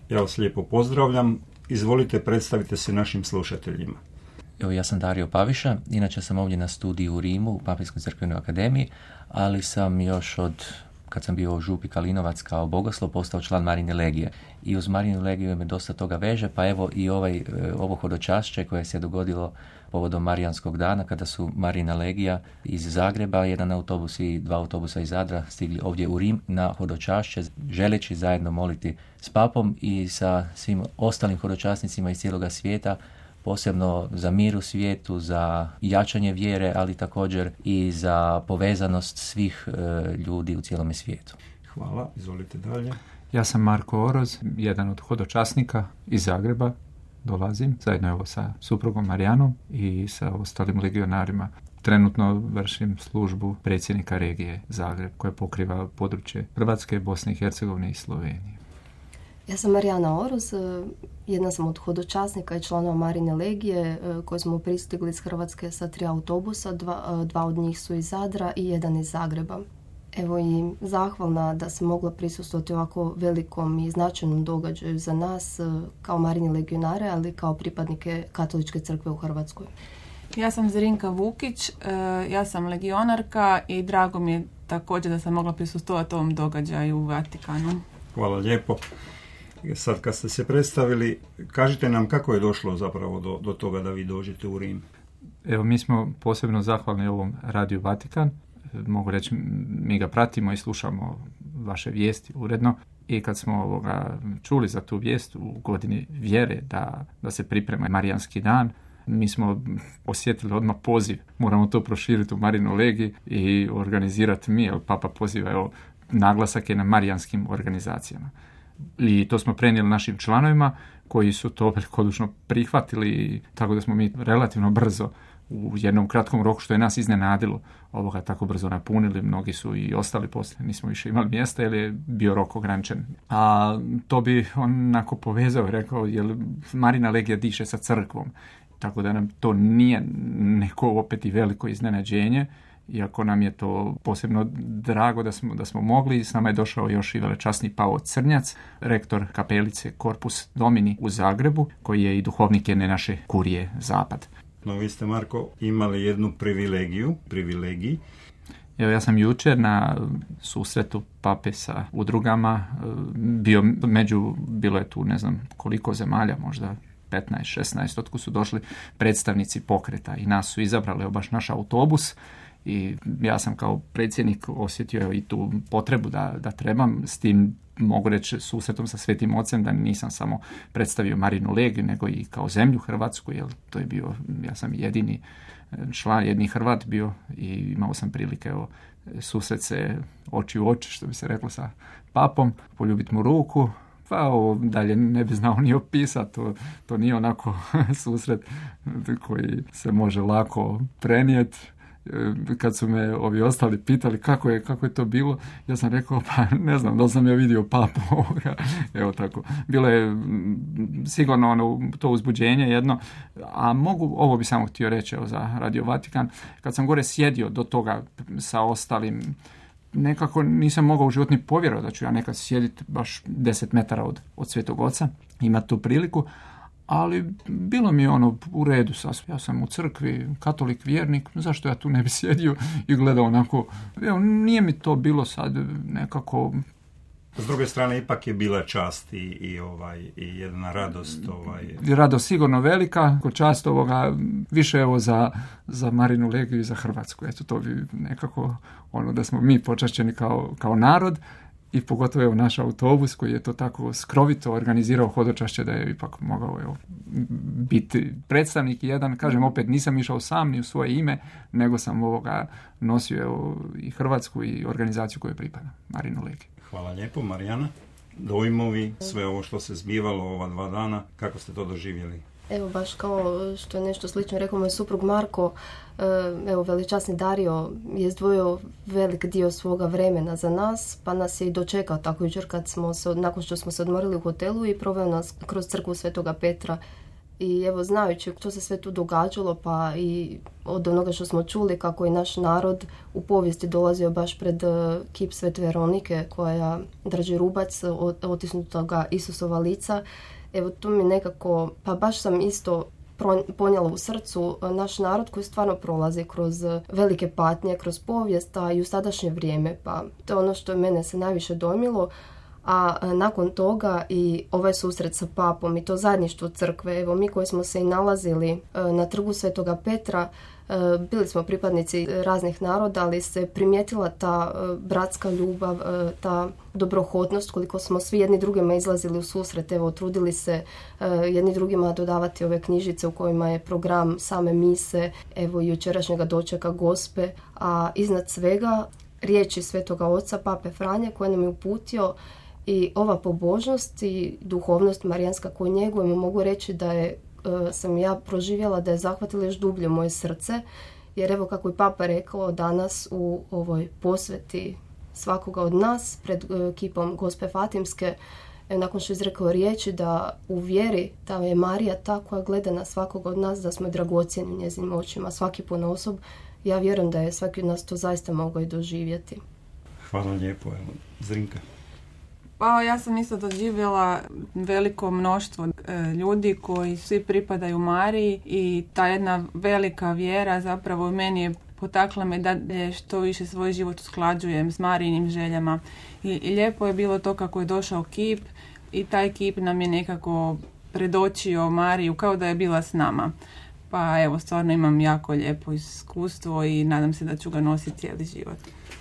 Ja vas lijepo pozdravljam. Izvolite, predstavite se našim slušateljima. Evo, ja sam Dario Paviša, inače sam ovdje na studiju u Rimu, u Papinskoj crkvenoj akademiji, ali sam još kad sam bio u Župi Kalinovac kao bogoslov, postao član Marine legije. I uz Marinu legiju me dosta toga veže, pa evo i ovo hodočašće koje se dogodilo povodom Marijanskog dana, kada su Marina legija iz Zagreba, jedan autobus i 2 autobusa iz Zadra stigli ovdje u Rim na hodočašće, želeći zajedno moliti s papom i sa svim ostalim hodočasnicima iz cijeloga svijeta, posebno za mir u svijetu, za jačanje vjere, ali također i za povezanost svih ljudi u cijelome svijetu. Hvala, izvolite dalje. Ja sam Marko Oroz, jedan od hodočasnika iz Zagreba. Dolazim zajedno evo sa suprugom Marijanom i sa ostalim legionarima. Trenutno vršim službu predsjednika regije Zagreb, koja pokriva područje Hrvatske, Bosne i Hercegovine i Slovenije. Ja sam Marijana Oroz, jedna sam od hodočasnika i članova Marine legije koji smo pristigli iz Hrvatske sa 3 autobusa, 2 od njih su iz Zadra i 1 iz Zagreba. Evo i zahvalna da sam mogla prisustvovati ovako velikom i značajnom događaju za nas kao Marini legionare, ali kao pripadnike Katoličke crkve u Hrvatskoj. Ja sam Zrinka Vukić, ja sam legionarka i drago mi je također da sam mogla prisustvovati ovom događaju u Vatikanu. Hvala lijepo. Sad kad ste se predstavili, kažite nam kako je došlo zapravo do toga da vi dođete u Rim. Evo, mi smo posebno zahvalni ovom Radiju Vatikan. Mogu reći, mi ga pratimo i slušamo vaše vijesti uredno. I kad smo čuli za tu vijest u godini vjere da se priprema Marijanski dan, mi smo osjetili odmah poziv. Moramo to proširiti u Marinu legiji i organizirati mi, jer Papa poziva, evo, naglasak je na marijanskim organizacijama. I to smo prenijeli našim članovima koji su to velikodušno prihvatili, tako da smo mi relativno brzo u jednom kratkom roku, što je nas iznenadilo, tako brzo napunili. Mnogi su i ostali poslije, nismo više imali mjesta jer je bio rok ograničen. A to bi onako povezao, rekao, jer Marina legija diše sa crkvom, tako da nam to nije neko opet i veliko iznenađenje, iako nam je to posebno drago da smo mogli. S nama je došao još i velečasni Pao Crnjac, rektor kapelice Corpus Domini u Zagrebu, koji je i duhovnik jedne naše kurije Zapad. No, vi ste, Marko, imali jednu privilegiji. Evo, ja sam jučer na susretu pape sa udrugama bio bilo je tu ne znam koliko zemalja, možda 15-16, otkud su došli predstavnici pokreta i nas su izabrali baš naš autobus. I ja sam kao predsjednik osjetio i tu potrebu da trebam, s tim mogu reći susretom sa Svetim Ocem, da nisam samo predstavio Marinu legiju, nego i kao zemlju Hrvatsku, jer to je bio, ja sam jedini član, jedini Hrvat bio i imao sam prilike susret se oči u oči, što bi se reklo, sa papom, poljubiti mu ruku. Pa ovo dalje ne bi znao ni opisati, to nije onako susret koji se može lako prenijeti. Kad su me ovi ostali pitali kako je to bilo, ja sam rekao, pa ne znam, da sam ja vidio papu. Evo tako. Bilo je sigurno to uzbuđenje jedno, a ovo bi samo htio reći za Radio Vatikan. Kad sam gore sjedio do toga sa ostalim, nekako nisam mogao u život ni povjerovati da ću ja nekad sjediti baš 10 metara od Svetog Oca, imati tu priliku. Ali bilo mi je u redu sasvim. Ja sam u crkvi, katolik, vjernik, zašto ja tu ne bi sjedio i gledao onako. Evo, nije mi to bilo sad nekako. S druge strane, ipak je bila čast i jedna radost. Radost sigurno velika, čast više za Marinu legiju i za Hrvatsku. Eto, to bi nekako da smo mi počašćeni kao narod. I pogotovo naš autobus koji je to tako skrovito organizirao hodočašće da je ipak mogao biti predstavnik jedan. Kažem, opet nisam išao sam ni u svoje ime, nego sam nosio i Hrvatsku i organizaciju koju pripada, Marinu legiju. Hvala lijepo, Marijana. Dojmovi, sve ovo što se zbivalo ova 2 dana, kako ste to doživjeli? Evo, baš kao što je nešto slično rekao moj suprug Marko, evo, velečasni Dario je izdvojio velik dio svoga vremena za nas, pa nas je i dočekao tako jučer nakon što smo se odmorili u hotelu i proveo nas kroz crkvu Svetoga Petra I evo, znajući što se sve tu događalo, pa i od onoga što smo čuli kako je naš narod u povijesti dolazio baš pred kip Svete Veronike koja drži rubac otisnutoga Isusova lica, evo tu mi nekako, pa baš sam isto ponijela u srcu naš narod koji stvarno prolazi kroz velike patnje, kroz povijest, a i u sadašnje vrijeme. Pa to je ono što je mene se najviše dojmilo. A nakon toga i ovaj susret sa papom i to zajedništvo crkve, evo mi koji smo se i nalazili na trgu Svetoga Petra, bili smo pripadnici raznih naroda, ali se primijetila ta bratska ljubav, ta dobrohotnost, koliko smo svi jedni drugima izlazili u susret, evo trudili se jedni drugima dodavati ove knjižice u kojima je program same mise, evo i jučerašnjega dočeka Gospe, a iznad svega riječi Svetoga Oca Pape Franje koje nam je uputio. I ova pobožnost i duhovnost marijanska koju njegujemo, mogu reći da je, sam ja proživjela da je zahvatila još dublje moje srce, jer evo kako je Papa rekao danas u ovoj posveti svakoga od nas pred kipom Gospe Fatimske, nakon što je izrekao riječi da u vjeri da je Marija ta koja gleda na svakoga od nas, da smo dragocjeni u njezinim očima, svaki ponosob, ja vjerujem da je svaki od nas to zaista mogao i doživjeti. Hvala lijepo, evo, Zrinka. Pa ja sam isto doživjela veliko mnoštvo ljudi koji svi pripadaju Mariji i ta jedna velika vjera zapravo meni je potakla me da što više svoj život usklađujem s Marijinim željama. I lijepo je bilo to kako je došao kip i taj kip nam je nekako predočio Mariju kao da je bila s nama. Pa evo, stvarno imam jako lijepo iskustvo i nadam se da ću ga nositi cijeli život.